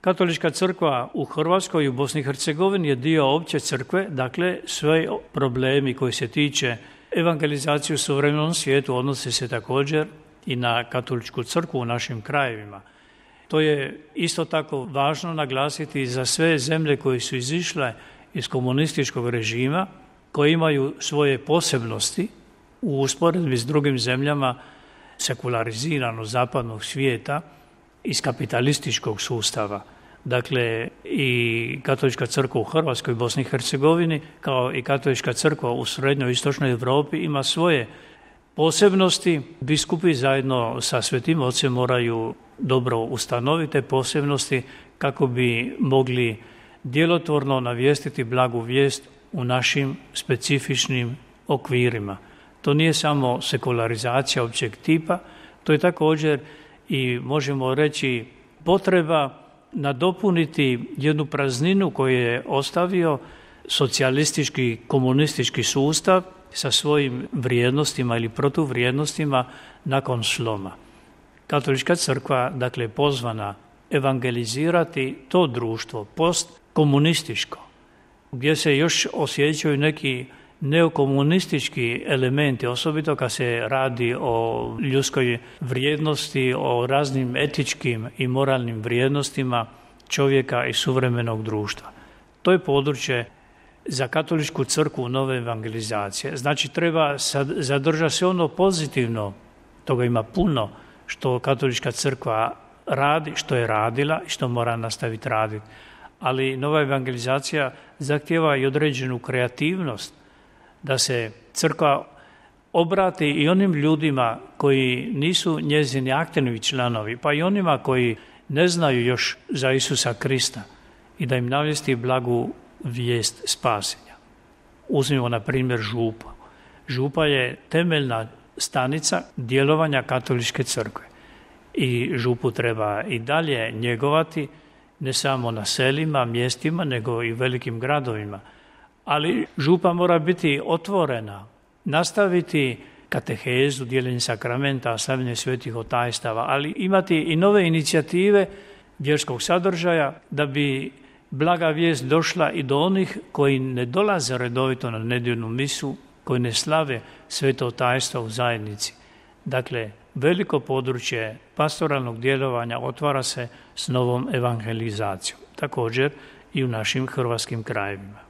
Katolička crkva u Hrvatskoj i u Bosni i Hercegovini je dio opće crkve, dakle sve problemi koji se tiče evangelizacije u suvremenom svijetu odnose se također i na katoličku crkvu u našim krajevima. To je isto tako važno naglasiti za sve zemlje koje su izišle iz komunističkog režima, koje imaju svoje posebnosti u usporedbi s drugim zemljama sekulariziranog zapadnog svijeta iz kapitalističkog sustava. Dakle, i katolička crkva u Hrvatskoj i Bosni i Hercegovini, kao i katolička crkva u srednjoj i istočnoj Europi ima svoje posebnosti. Biskupi zajedno sa Svetim Ocem moraju dobro ustanoviti te posebnosti kako bi mogli djelotvorno navijestiti blagu vijest u našim specifičnim okvirima. To nije samo sekularizacija općeg tipa, to je također i možemo reći potreba nadopuniti jednu prazninu koju je ostavio socijalistički, komunistički sustav sa svojim vrijednostima ili protuvrijednostima nakon sloma. Katolička crkva, dakle, pozvana evangelizirati to društvo postkomunističko, gdje se još osjećaju neki neokomunistički elementi, osobito kad se radi o ljudskoj vrijednosti, o raznim etičkim i moralnim vrijednostima čovjeka i suvremenog društva. To je područje za katoličku crkvu nove evangelizacije. Znači, treba zadržati se ono pozitivno, toga ima puno, što katolička crkva radi, što je radila i što mora nastaviti raditi. Ali nova evangelizacija zahtijeva i određenu kreativnost, da se crkva obrati i onim ljudima koji nisu njezini aktivni članovi, pa i onima koji ne znaju još za Isusa Krista i da im navijesti blagu vijest spasenja. Uzmimo na primjer župu. Župa je temeljna stanica djelovanja katoličke crkve i župu treba i dalje njegovati, ne samo na selima, mjestima, nego i velikim gradovima. Ali župa mora biti otvorena, nastaviti katehezu, dijeljenje sakramenta, slavljenje svetih otajstava, ali imati i nove inicijative vjerskog sadržaja da bi blaga vijest došla i do onih koji ne dolaze redovito na nedjeljnu misu, koji ne slave sveto otajstvo u zajednici. Dakle, veliko područje pastoralnog djelovanja otvara se s novom evangelizacijom, također i u našim hrvatskim krajevima.